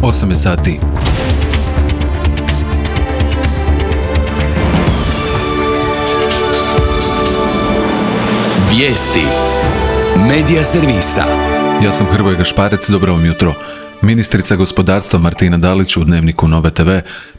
8 je sati. Vijesti Medija servisa. Ja sam Hrvoje Gašparec, dobro vam jutro. Ministrica gospodarstva Martina Dalić u Dnevniku Nove TV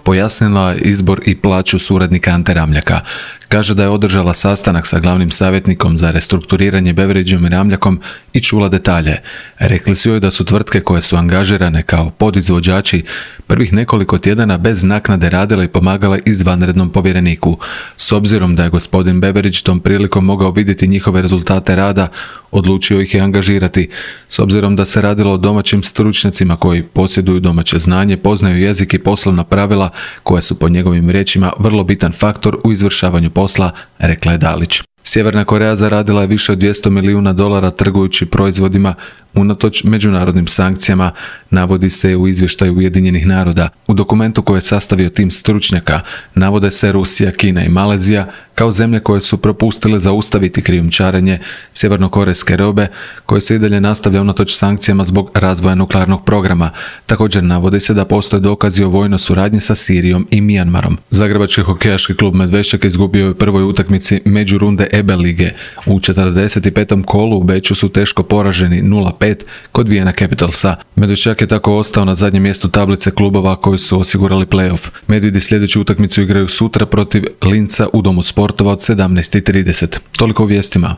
pojasnila izbor i plaću suradnika Ante Ramljaka. Kaže da je održala sastanak sa glavnim savjetnikom za restrukturiranje Beveridgeom i Ramljakom i čula detalje. Rekli su joj da su tvrtke koje su angažirane kao podizvođači prvih nekoliko tjedana bez naknade radile i pomagale izvanrednom povjereniku. S obzirom da je gospodin Beveridge tom prilikom mogao vidjeti njihove rezultate rada, odlučio ih je angažirati. S obzirom da se radilo o domaćim stručnjacima koji posjeduju domaće znanje, poznaju jezik i poslovna pravila koja su po njegovim riječima vrlo bitan faktor u izvršavanju posla, rekla je Dalić. Sjeverna Koreja zaradila je više od $200 milijuna trgujući proizvodima unatoč međunarodnim sankcijama, navodi se u izvještaju Ujedinjenih naroda. U dokumentu koji je sastavio tim stručnjaka navode se Rusija, Kina i Malezija kao zemlje koje su propustile zaustaviti krijumčarenje sjevernokorejske robe koje se i dalje nastavlja unatoč sankcijama zbog razvoja nuklearnog programa. Također navodi se da postoje dokazi o vojnoj suradnji sa Sirijom i Mijanmarom. Zagrebački hokejaški klub Medvešćak izgubio je u prvoj utakmici međurunde EBE lige. U 45. kolu u Beču su teško poraženi 0-5 kod Vienna Capitalsa. Medvešćak je tako ostao na zadnjem mjestu tablice klubova koji su osigurali play-off. Medvjedi sljedeću utakmicu igraju sutra protiv Linca u Domu sportova od 17:30. Toliko u vijestima.